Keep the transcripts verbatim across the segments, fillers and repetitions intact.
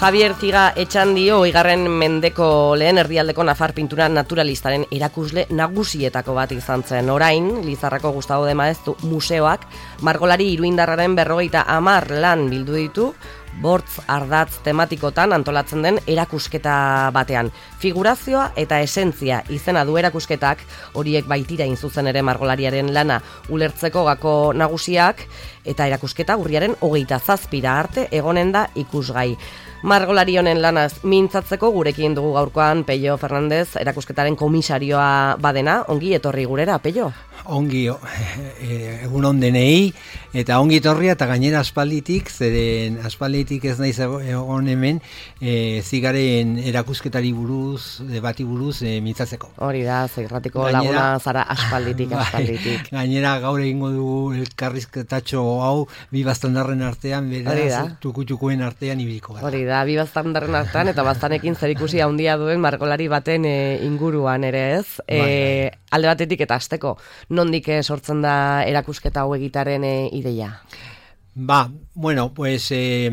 Javier Ziga Etxandio, igarren mendeko lehen erdialdeko nafar pintura naturalistaren erakusle nagusietako bat izan zen. Orain, Lizarrako Gustavo de Maeztu museoak margolari iruindarraren berrogeita hamar lan bildu ditu, bortz ardatz tematikotan antolatzen den erakusketa batean. Figurazioa eta esentzia izena du erakusketak, horiek baitira inzuzen ere margolariaren lana ulertzeko gako nagusiak, eta erakusketa urriaren hogeita zazpira arte egonen da ikusgai. Margolari honen lanaz mintzatzeko gurekin dugu gaurkoan Pello Fernandez, erakusketaren komisarioa badena. Ongi etorri gurera, Pello? Ongi, egun ondenei, eta ongi etorria, eta gainera aspalditik, zeren aspalditik ez naiz egon hemen, e, Zigaren erakusketari buruz, debati buruz, e, mintzatzeko. Hori da, zirratiko laguna zara aspalditik, aspalditik. Bai, gainera gaur egingo dugu elkarrizketatxo hau, bi baztandarren artean, beraz, tuku-tukuen artean ibiliko gara. Hori da, bi baztandarren artean, eta baztanekin zerikusi handia duen margolari baten e, inguruan ere ez. E, bai, bai. Alde batetik eta hasteko, nondik sortzen da erakusketa hau egitaren e, ideia? Ba, bueno, pues eh,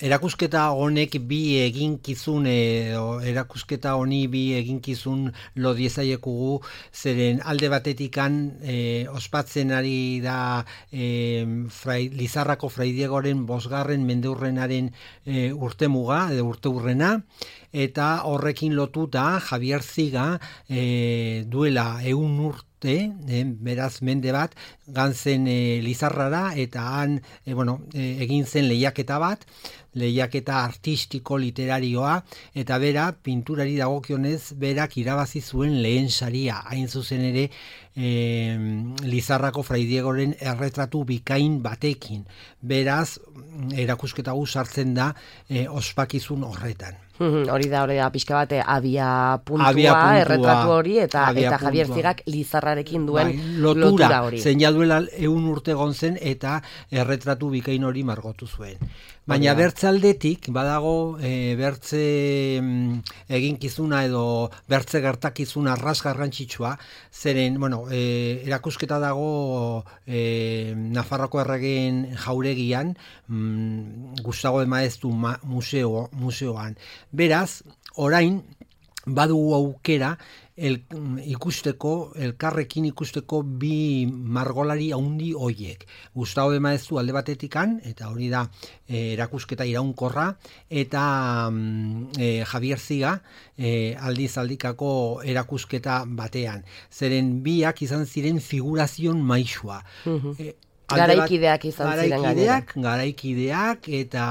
erakusketa honek bi eginkizun edo erakusketa honi bi eginkizun lo diezaiekugu, zeren alde batetikan eh, ospatzen ari da eh, frai, Lizarrako Fray Diegoren bosgarren mendeurrenaren eh, urtemuga edo urteurrena, eta horrekin lotuta Javier Ziga eh, duela ehun urte Eh, beraz mende bat gantzen eh, Lizarrara, eta han eh, bueno, eh, egin zen lehiaketa bat, lehiaketa artistiko literarioa, eta bera pinturari dagokionez berak irabazi zuen lehen saria, hain zuzen ere eh, Lizarrako Fray Diegoren erretratu bikain batekin. Beraz erakusketa gu sartzen da eh, ospakizun horretan. Hori da, hori da, pixka bate abia puntua, abia puntua erretratu hori, eta, eta Javier Zigak Lizarrarekin duen bai, lotura, lotura hori. Zein jaduela ehun urte gontzen eta erretratu bikain hori margotu zuen. Baina bertzaldetik, badago e, bertze eginkizuna edo bertze gertakizuna arras garrantzitsua, zeren, bueno, e, erakusketa dago e, Nafarroko erregeen jauregian, mm, Gustavo de Maeztu ma, museo, museoan. Beraz, orain, badugu aukera el, ikusteko, elkarrekin ikusteko bi margolari haundi hoiek. Gustavo de Maeztu alde batetikan, eta hori da e, erakusketa iraunkorra, eta e, Javier Ziga e, aldiz aldikako erakusketa batean. Zeren biak izan ziren figurazion maisua. Uh-huh. e, Garaikideak izan ziren garaikideak, garaikideak, eta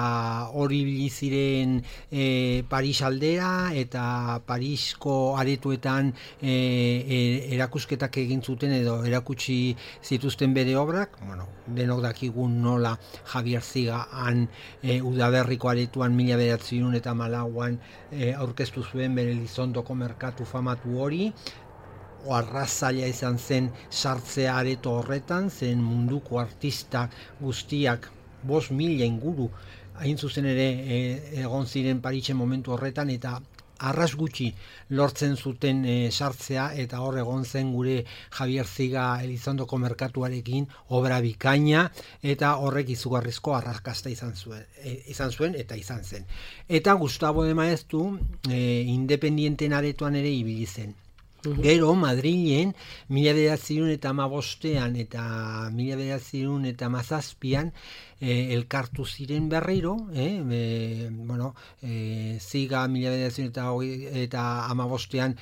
hori biliziren e, Paris aldera, eta Parisko aretuetan e, e, erakusketak egin zuten edo erakutsi zituzten bere obrak. Bueno, denok dakigun nola Javier Ziga han e, Udaberriko aretuan mila bederatziehun eta hamalauan e, aurkeztu zuen bere Elizondoko merkatu famatu hori. Arrazaila izan zen sartzea areto horretan, zen munduko artista guztiak bost mila inguru hain zuzen ere e, egon ziren Parisen momentu horretan, eta arras gutxi lortzen zuten e, sartzea, eta hor egon zen gure Javier Ziga Elizondoko merkatuarekin obra bikaina, eta horrek izugarrizko arrakasta izan zuen, e, izan zuen eta izan zen. Eta Gustavo de Maeztu e, independienten aretoan ere ibili zen. Gero, Madrilen, mila bederatziehun eta hamabostean eta mila bederatziehun eta hamazazpian eh, elkartu ziren berriro, eh, e, bueno, eh, Ziga mila bederatziehun eta hamabostean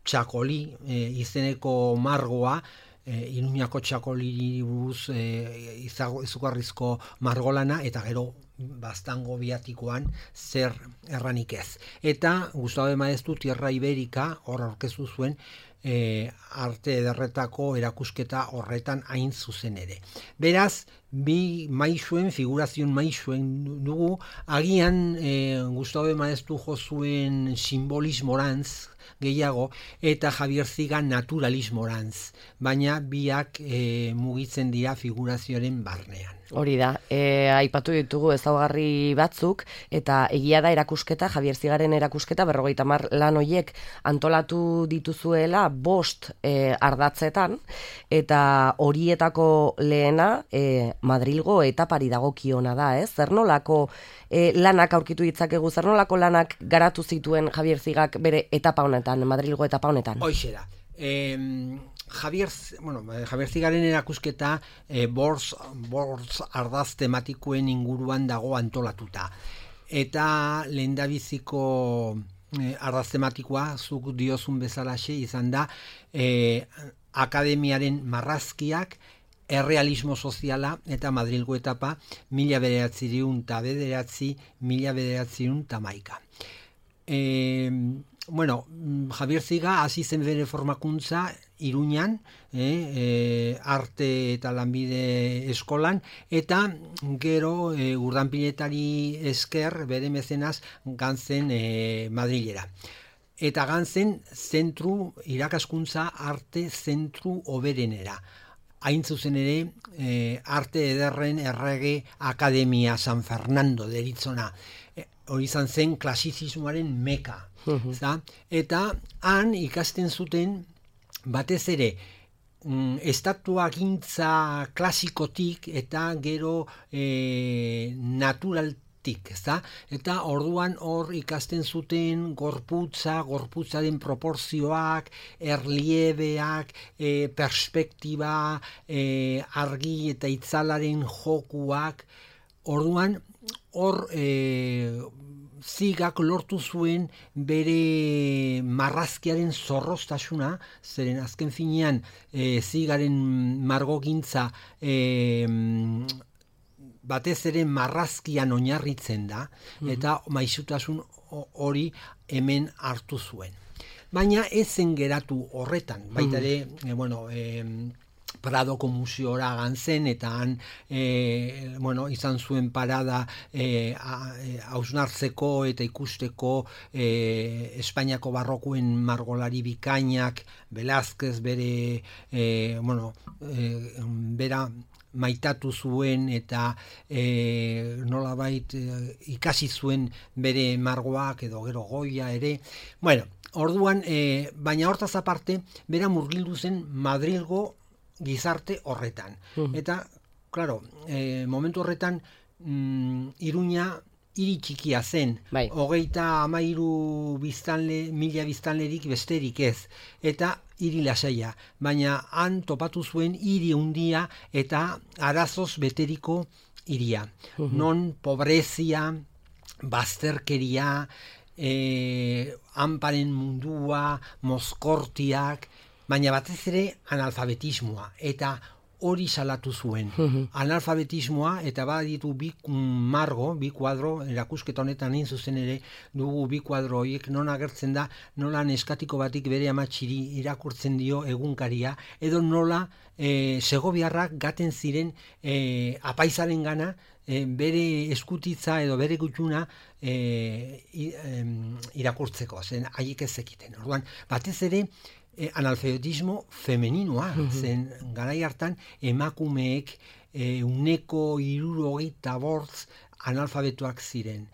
Txakoli eh, izeneko margoa, eh, Iruñako Txakoli buruz eh, izugarrizko margolana, eta gero Baztango biatikoan zer erranik ez. Eta Gustavo de Maeztu Tierra Ibérica hor aurkeztu zuen e, arte ederretako erakusketa horretan hain zuzen ere. Beraz, bi maisuen, figurazion maisuen dugu, agian e, Gustavo de Maeztu jo zuen simbolismorantz gehiago, eta Javier Ziga naturalismorantz, baina biak e, mugitzen dira figurazioaren barnean. Hori da, e, aipatu ditugu ezaugarri batzuk, eta egia da erakusketa, Javier Zigaren erakusketa, berrogeita hamar lan hoiek antolatu dituzuela bost e, ardatzetan, eta horietako lehena, e, Madrilgo etapari dagokiona da, ez? Zer nolako e, lanak aurkitu ditzakegu, zer nolako lanak garatu zituen Javier Zigak bere etapa honetan, Madrilgo etapa honetan? Hoxe da. Eh, Javier, bueno, Javier Zigaren erakusketa eh, bortz, bortz ardaz tematikoen inguruan dago antolatuta. Eta lehendabiziko eh, ardaz tematikoa, zuk diozun bezalaxe izan da, eh, akademiaren marrazkiak, errealismo soziala eta Madrilgo etapa mila bederatzireun eta bederatzi, mila bederatzireun eta maika. E, bueno, Javier Ziga hasi zen bere formakuntza Iruñan, eh, eh, arte eta lanbide eskolan, eta gero eh, urdanpiletari esker bere mezenaz gantzen eh, Madrilera. Eta gantzen zentru, irakaskuntza arte zentru oberenera. Hain zuzen ere, eh, arte ederren errege akademia San Fernando deritzona. E, hori izan zen klasizismoaren meka. Uh-huh. Eta han ikasten zuten batez ere mm, estatuagintza klasikotik eta gero eh, naturaltik. Ezta? Eta orduan hor ikasten zuten gorputza, gorputzaren proporzioak, erliebeak, e, perspektiba, e, argi eta itzalaren jokuak. Orduan hor e, Zigak lortu zuen bere marrazkiaren zorroztasuna, zeren azken finean e, Zigaren margogintza e, batez ere marrazkian oinarritzen da, eta maisutasun hori hemen hartu zuen. Baina ez zen geratu horretan, baita ere, e, bueno, e, Pradoko museora gantzen, eta han e, bueno, izan zuen parada e, hausnartzeko eta ikusteko e, Espainiako barrokoen margolari bikainak, Velázquez bere, e, bueno, e, bera, maitatu zuen eta e, nolabait e, ikasi zuen bere margoak edo gero Goya ere. Bueno, orduan, e, baina hortaz aparte, bera murgildu zen Madrilgo gizarte horretan. Uh-huh. Eta, claro, e, momentu horretan mm, Iruña hiri txikia zen. Bai. Hogeita hamairu biztanle, mila biztanlerik besterik ez. Eta hiri lasaia. Baina han topatu zuen hiri handia eta arazoz beteriko hiria. Uh-huh. Non pobrezia, bazterkeria, e, hanparen mundua, mozkortiak, baina batez ere analfabetismoa. Eta hori salatu zuen. Uh-huh. Analfabetismoa, eta baditu bi margo, bi kuadro, erakusketa honetan egin zuzen ere, dugu bi kuadro horiek non agertzen da, nola neskatiko batik bere amatxiri irakurtzen dio egunkaria, edo nola e, segobiarrak gaten ziren e, apaizaren gana, e, bere eskutitza edo bere gutxuna e, irakurtzeko, zen haiek ez zekiten. Orduan, batez ere, E, analfabetismo femeninoa, uh-huh. zen garai hartan emakumeek e, uneko hirurogeita bortz analfabetuak ziren.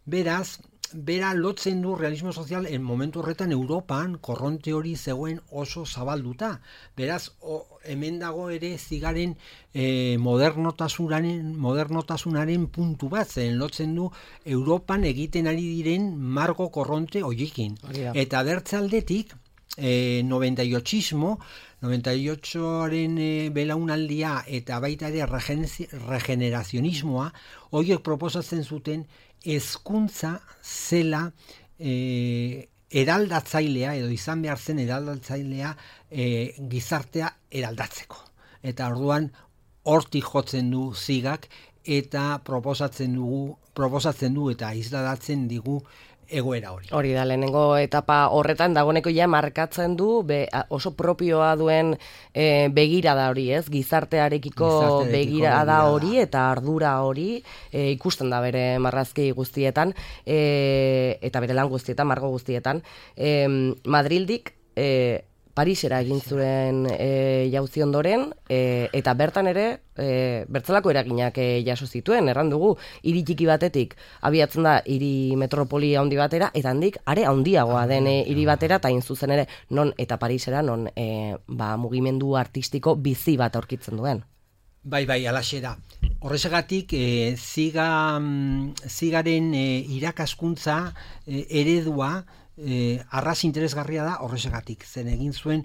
Beraz, bera lotzen du realismo sozial en momentu horretan Europan korronte hori zegoen oso zabalduta. Beraz, o, hemen dago ere Zigaren e, modernotasunaren, modernotasunaren puntu bat, zen lotzen du Europan egiten ari diren margo korronte horiekin. Oh, eta bertzaldetik, Eh, noventa y ochismo, noventa y ochoaren eh, belaunaldia eta baita ere regenerazionismoa, horiek proposatzen zuten hezkuntza zela eh, eraldatzailea, edo izan behar zen eraldatzailea eh, gizartea eraldatzeko. Eta orduan hortik jotzen du Zigak eta proposatzen dugu, proposatzen du eta isladatzen digu egoera hori. Hori da, lehenengo etapa horretan dagoeneko ja markatzen du be, oso propioa duen e, begirada hori, ez? Gizartearekiko, Gizartearekiko begirada hori eta ardura hori e, ikusten da bere marrazki guztietan e, eta bere lan guztietan, margo guztietan. E, Madrildik e, Parisera egin zuen e, jauzi ondoren, e, eta bertan ere e, bertzelako eraginak e, jaso zituen, erran dugu, hiri txiki batetik abiatzen da hiri metropoli handi batera, eta handik are handiagoa den hiri batera, eta hain zuzen ere non eta Parisera non e, ba, mugimendu artistiko bizi bat aurkitzen duen. Bai, bai, alaxe da. Horrezagatik, e, ziga, zigaren e, irakaskuntza e, eredua e, arras interesgarria da horrezagatik. Zen egin zuen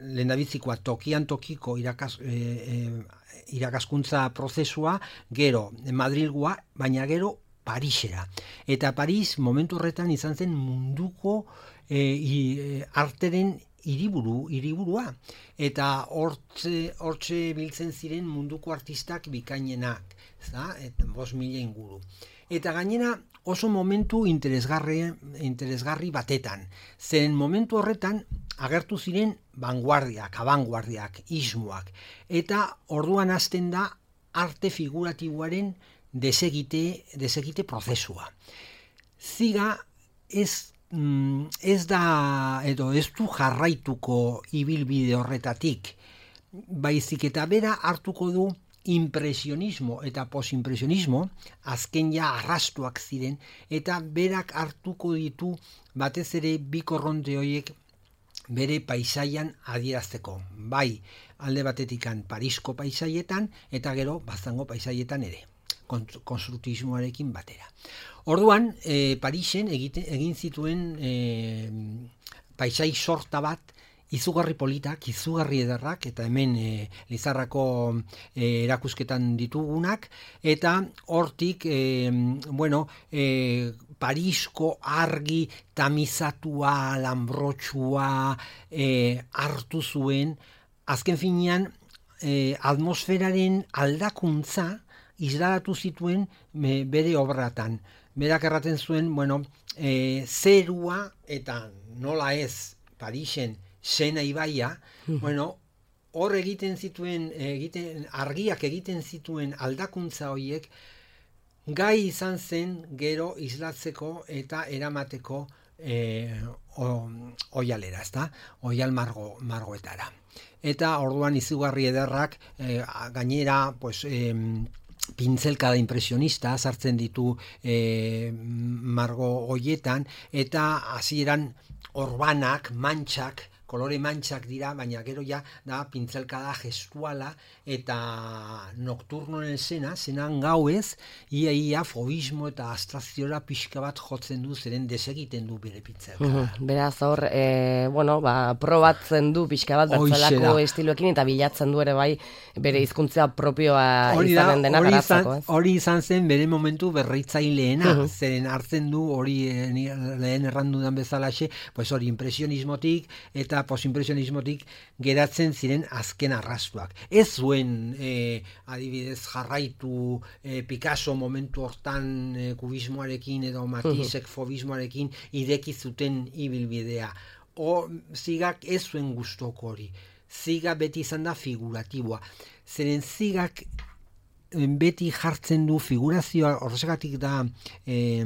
lehendabizikoa tokian tokiko irakas, e, e, irakaskuntza prozesua, gero Madrilgoa, baina gero Parisera. Eta Paris momentu horretan izan zen munduko e, i, arteren hiriburu, hiriburua. Eta hortze, hortze biltzen ziren munduko artistak bikainenak, ezta? Eta bost mila inguru. Eta gainera oso momentu interesgarri, interesgarri batetan. Zen momentu horretan agertu ziren vanguardiak, abanguardiak, ismoak. Eta orduan hasten da arte figuratiboaren desegite, desegite prozesua. Ziga ez ez da, edo ez du jarraituko ibilbide horretatik, baizik eta bera hartuko du impresionismo eta posimpresionismo, azken ja arrastuak ziren, eta berak hartuko ditu batez ere bi korronte horiek bere paisaian adierazteko. Bai, alde batetikan Parisko paisaietan, eta gero baztango paisaietan ere, konstruktismoarekin batera. Orduan, e, Parisen egite, egin zituen e, paisai sorta bat, izugarri politak, izugarri ederrak, eta hemen e, Lizarrako e, erakusketan ditugunak, eta hortik, e, bueno, e, Parisko argi tamizatua, lambrotxua e, hartu zuen, azken finean, e, atmosferaren aldakuntza isladatu zituen e, bere obratan. Berak erraten zuen, bueno, e, zerua eta nola ez Parisen Sena ibaia, bueno, hor egiten zituen, egiten, argiak egiten zituen aldakuntza horiek, gai izan zen gero islatzeko eta eramateko e, oialera, ezta? Oial margo, margoetara. Eta orduan izugarri ederrak, e, gainera, pues, e, pintzelkada impresionista sartzen ditu e, margo hoietan, eta hasieran orbanak, mantxak, kolore mantxak dira, baina gero ja da pintzelkada gestuala eta nokturnoen zena, zenan gauez, ia ia fobismo eta abstrakziora pixka bat jotzen du, zeren desegiten du bere pintzelkada. Mm, beraz hor, e, bueno, ba, probatzen du pixka bat bertzelako estiloekin eta bilatzen du ere bai bere hizkuntza propioa izanen dena garatzeko. Hori izan zen bere momentu berritzaileena, uh-huh. Zeren hartzen du hori lehen errandudan bezalaxe, pues hori impresionismotik eta posimpresionismotik geratzen ziren azken arrastuak. Ez zuen e, adibidez jarraitu e, Picasso momentu hortan e, kubismoarekin edo Matissek fobismoarekin ideki zuten ibilbidea. O zigak ez zuen gustoko hori. Ziga beti izan da figuratiboa. Zeren zigak beti jartzen du figurazioa, horrezagatik da e,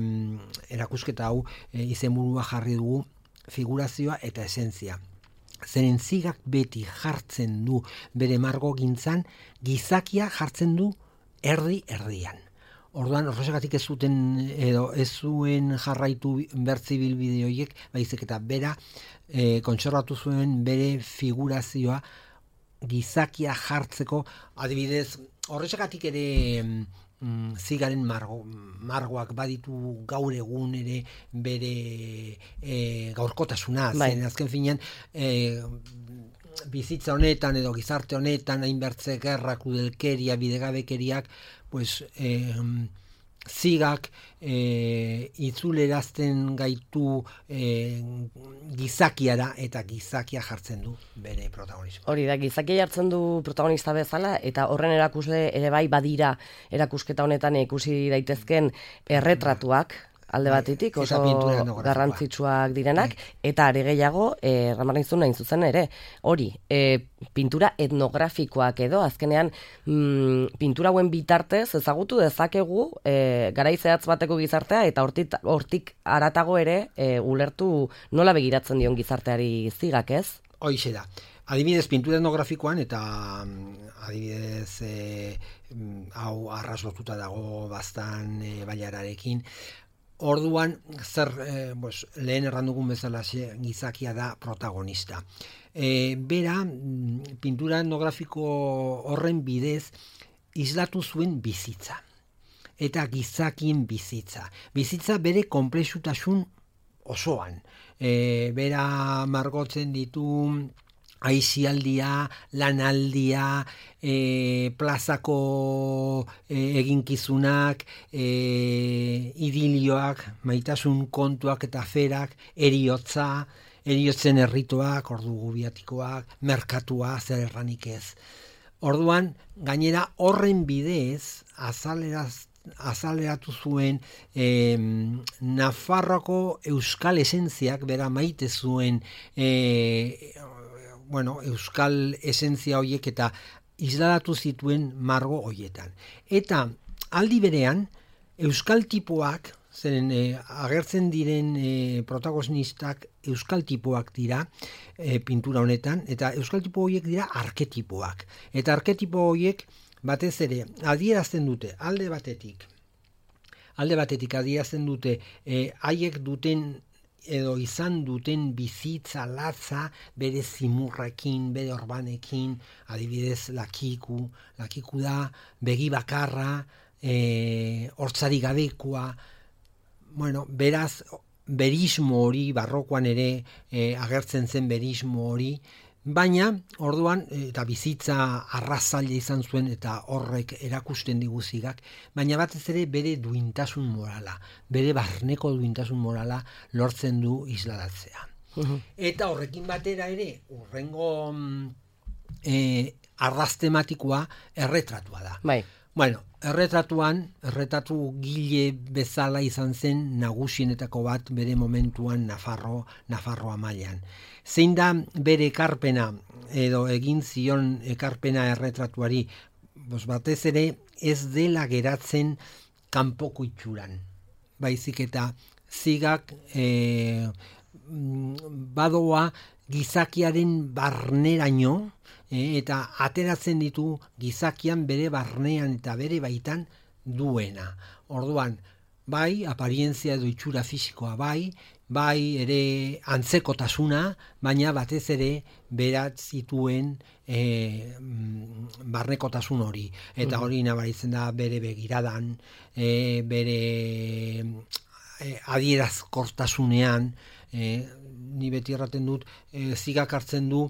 erakusketa hau e, izenburua jarri dugu, figurazioa eta esentzia. Zeren zigak beti jartzen du bere margo gintzan, gizakia jartzen du erdi erdian. Orduan horrezagatik ez zuten edo ez zuen jarraitu bertzi bilbide horiek, baizik eta bera e, kontserbatu zuen bere figurazioa gizakia jartzeko, adibidez horrezagatik ere Mm, zigaren margo, margoak baditu gaur egun ere bere e, gaurkotasuna, bai. Zen azken finean e, bizitza honetan edo gizarte honetan hainbertze gerrak, udelkeria, bidegabekeriak, pues e, zigak e, itzulerazten gaitu e, gizakiara eta gizakia jartzen du bere protagonismo. Hori da, gizakia jartzen du protagonista bezala eta horren erakusle ere bai badira erakusketa honetan ikusi daitezken erretratuak, alde batetik oso garrantzitsuak direnak, eta are gehiago, eh, ramarraizun nahin zuzen ere, hori, eh, pintura etnografikoak edo, azkenean mm, pintura hauen bitartez ezagutu dezakegu eh, garaizeatz bateko gizartea, eta hortik, hortik aratago ere eh, ulertu nola begiratzen dion gizarteari zigak, ez? Hoixe da. Adibidez, pintura etnografikoan, eta adibidez, e, hau arras lotuta dago bastan e, bailararekin, orduan, zer, eh, pues, lehen errandugun bezala gizakia da protagonista. E, bera, pintura etnografiko horren bidez, islatu zuen bizitza. Eta gizakien bizitza. Bizitza bere konplexutasun osoan. E, bera margotzen ditu aizialdia, lanaldia, e, plazako e, eginkizunak, e, idilioak, maitasun kontuak eta aferak, eriotza, eriotzen errituak, ordu gubiatikoak, merkatua, zer erranik ez. Orduan, gainera horren bidez, azaleraz azaleratu zuen eh, Nafarroako euskal esentziak, bera maite zuen eh, bueno, euskal esentzia horiek eta isladatu zituen margo horietan. Eta aldi berean, euskal tipoak, zeren eh, agertzen diren eh, protagonistak euskal tipoak dira eh, pintura honetan, eta euskal tipo horiek dira arketipoak. Eta arketipo horiek batez ere adierazten dute alde batetik, alde batetik adierazten dute eh, haiek duten edo izan duten bizitza latza bere zimurrekin, bere orbanekin, adibidez lakiku, lakiku da begi bakarra, eh, hortzari gabekoa, bueno, beraz berismo hori, barrokoan ere eh, agertzen zen berismo hori, baina, orduan, eta bizitza arrazaile izan zuen, eta horrek erakusten diguzigak, baina batez ere bere duintasun morala, bere barneko duintasun morala lortzen du isladatzea. Uh-huh. Eta horrekin batera ere, urrengo eh, arraz tematikoa erretratua da. Bai. Bueno, erretratuan, erretratu gile bezala izan zen nagusienetako bat bere momentuan Nafarro, Nafarroa mailan. Zein da bere ekarpena edo egin zion ekarpena erretratuari, bos batez ere ez dela geratzen kanpoko itxuran. Baizik eta zigak e, badoa gizakiaren barneraino, e, eta ateratzen ditu gizakian bere barnean eta bere baitan duena. Orduan, bai, aparientzia edo itxura fisikoa bai, bai ere antzekotasuna, baina batez ere berat zituen e, barnekotasun hori. Eta hori nabaritzen da bere begiradan, e, bere e, adierazkortasunean, e, ni beti erraten dut, e, zigak hartzen du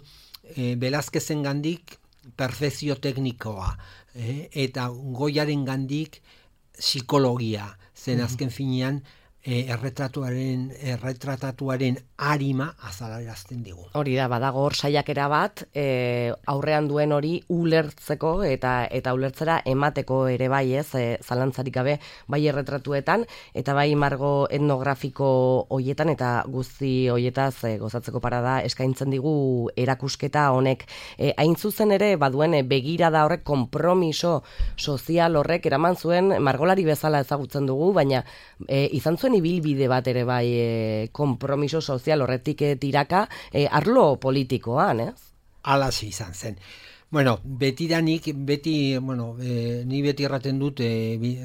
e, Velázquezen gandik perfezio teknikoa, e, eta Goyaren gandik psikologia, zen azken finean e, erretratuaren, erretratatuaren arima azalarazten digu. Hori da, badago hor saiakera bat, e, aurrean duen hori ulertzeko eta eta ulertzera emateko ere bai, ez, e, zalantzarik gabe, bai erretratuetan, eta bai margo etnografiko hoietan, eta guzti hoietaz e, gozatzeko parada eskaintzen digu erakusketa honek. E, hain zuzen ere, baduen e, begirada horrek, konpromiso sozial horrek eraman zuen, margolari bezala ezagutzen dugu, baina e, izan zuen ibilbide bat ere bai e, konpromiso sozial horretik tiraka e, arlo politikoan, ez? Alasi izan zen. Bueno, betidanik, beti, bueno, e, ni beti erraten dut e,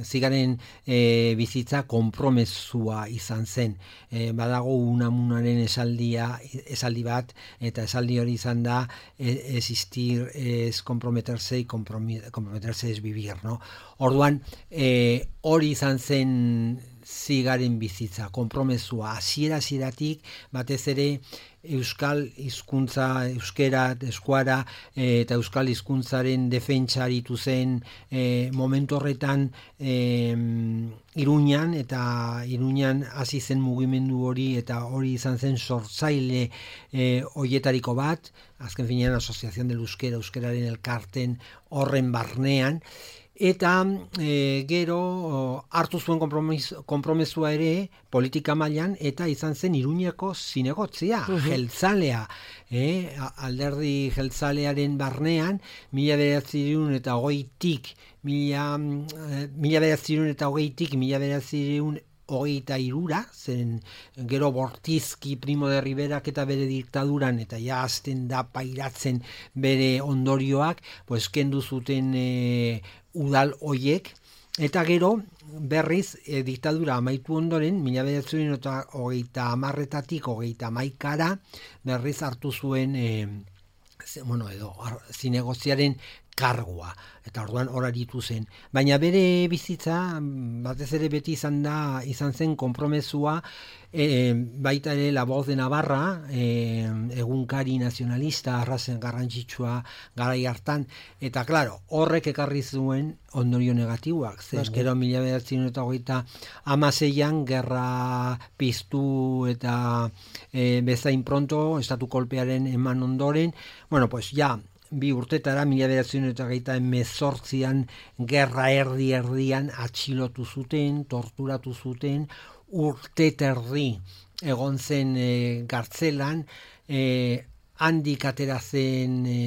zigaren e, bizitza konpromesua izan zen. E, badago Unamunaren esaldia, esaldi bat, eta esaldi hori izan da existir es comprometerse y comprometerse es vivir, no? Orduan, e, hori izan zen zigaren bizitza, konpromesua, hasiera hasieratik batez ere euskal hizkuntza, euskera, eskuara e, eta euskal hizkuntzaren defentsa aritu zen e, momentu horretan e, Iruñan, eta Iruñan hasi zen mugimendu hori, eta hori izan zen sortzaile e, hoietariko bat, azken finean Asociación del Euskera, euskeraren elkarten horren barnean. Eta e, gero hartu zuen konpromesua ere politika mailan, eta izan zen Iruñeko zinegotzia, uh-huh. jeltzalea, e, alderdi jeltzalearen barnean, mila bederatziehun eta hogeitik, mila, mila bederatziehun eta hogeitik, mila bederatziehun hogeita hirura, zen gero Bortizki, Primo de Riverak eta bere diktaduran, eta ja azten da pairatzen bere ondorioak, pues kendu zuten e, udal hoiek, eta gero berriz e, diktadura amaitu ondoren, mila bederatziehun eta hogeita hamarretatik hogeita hamaikara, berriz hartu zuen e, bueno, edo zinegoziaren kargua. Eta orduan hor aritu zen. Baina bere bizitza, batez ere beti izan da, izan zen konpromesua, e, baita ere La Voz de Navarra, e, egunkari nazionalista, arrazen garrantzitsua garai hartan, eta claro, horrek ekarri zuen ondorio negatiboak. Zer, gero mila bederatziehun eta hogeita hamaseian gerra piztu eta e, bezain pronto, estatu kolpearen eman ondoren, bueno, pues ja, bi urtetara, mila bederatziehun eta hogeita hemezortzian gerra erdi erdian atxilotu zuten, torturatu zuten, urte terdi egon zen e, gartzelan, e, handik atera zen e,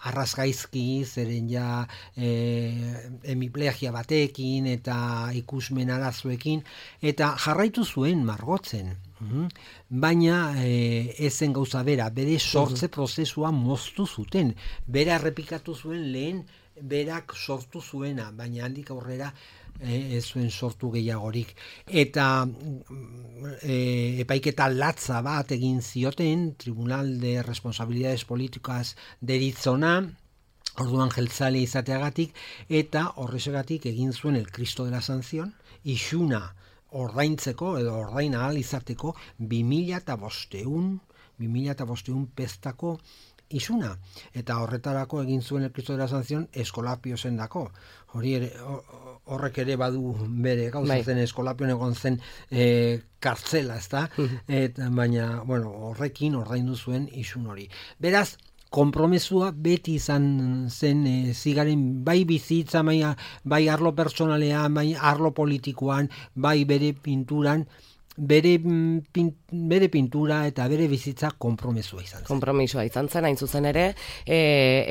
arrazgaizki, zeren ja e, hemiplegia batekin eta ikusmen arazoekin, eta jarraitu zuen margotzen. Mm-hmm. Baina e, ezen gauza bera, bere sortze prozesua moztu zuten, bera errepikatu zuen lehen berak sortu zuena, baina handik aurrera e, ez zuen sortu gehiagorik. Eta e, epaiketa latza bat egin zioten, Tribunal de Responsabilidades Políticas deritzona, orduan jeltzale izateagatik, eta horrexegatik egin zuen el Cristo de la Sanción, isuna ordaintzeko edo ordain ahal izateko bi mila bosteun pestako isuna. Eta horretarako egin zuen el Cristo de la Sanción Eskolapio zendako. Hori ere, horrek ere badu bere gauza zen, Eskolapion egon zen e, kartzela, ezta? Eta, baina, bueno, horrekin ordaindu zuen isun hori. Beraz, konpromesua beti izan zen e, zigaren bai bizitza, bai, bai arlo pertsonalean, bai arlo politikoan, bai bere pinturan, bere, pin, bere pintura eta bere bizitza konpromesua izan zen. Konpromisoa izan zen, hain zuzen ere, e,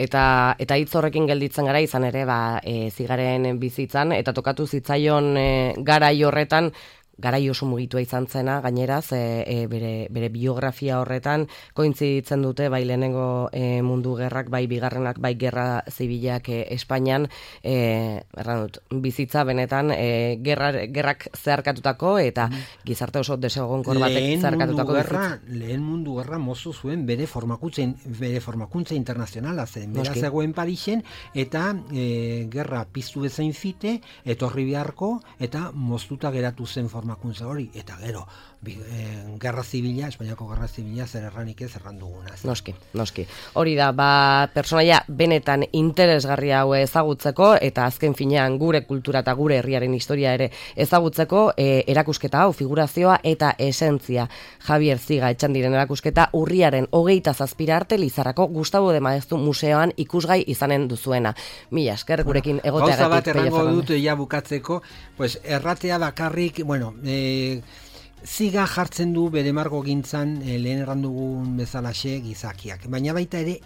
eta eta hitz horrekin gelditzen gara izan ere, ba, e, zigaren bizitzan, eta tokatu zitzaion e, garai horretan, garai oso mugitua izan zena, gaineraz, e, e, bere, bere biografia horretan, kointziditzen dute, bai lehenengo e, mundu gerrak, bai bigarrenak, bai gerra zibilak e, Espainian, e, erran dut, bizitza benetan, e, gerra, gerrak zeharkatutako, eta gizarte oso desegonkor batek zeharkatutako gerra, lehen mundu gerra mozu zuen bere formakuntza, bere formakuntza internazionala zen, bera zegoen Parisen, eta e, gerra piztu bezain fite, etorri beharko, eta moztuta geratu zen formakuntza hori, eta gero bi, e, gerra zibila, Espainiako gerra zibila zer erranik ez erran duguna. Noski, noski. Hori da, ba, personaia benetan interesgarria hau ezagutzeko, eta azken finean gure kultura eta gure herriaren historia ere ezagutzeko, e, erakusketa hau, figurazioa eta esentzia. Javier Ziga Etxandiren erakusketa urriaren hogeita zazpira arte Lizarrako Gustavo de Maeztu museoan ikusgai izanen duzuena. Mila esker gurekin bueno, egoteagatik. Gauza bat errango dut ja bukatzeko, pues erratea bakarrik, bueno, eh, Ziga jartzen du bere margo gintzan e, lehen errandugun bezalaxe gizakiak. Baina baita ere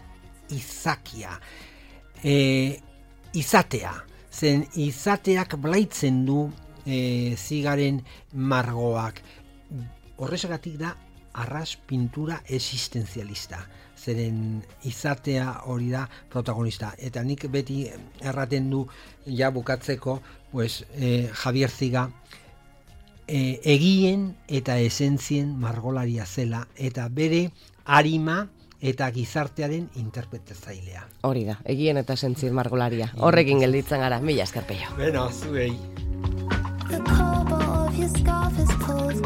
izakia. E, izatea. Zen izateak blaitzen du e, Zigaren margoak. Horrexegatik da arras pintura existenzialista. Zeren izatea hori da protagonista. Eta nik beti erraten du ja bukatzeko pues, e, Javier Ziga E, egien eta esentzien margolaria zela, eta bere arima eta gizartearen interpretatzailea. Hori da, egien eta esentzien margolaria. Horrekin gelditzen gara, mila esker Peio. Beno, zuei. The cobalt of your scarf is pulled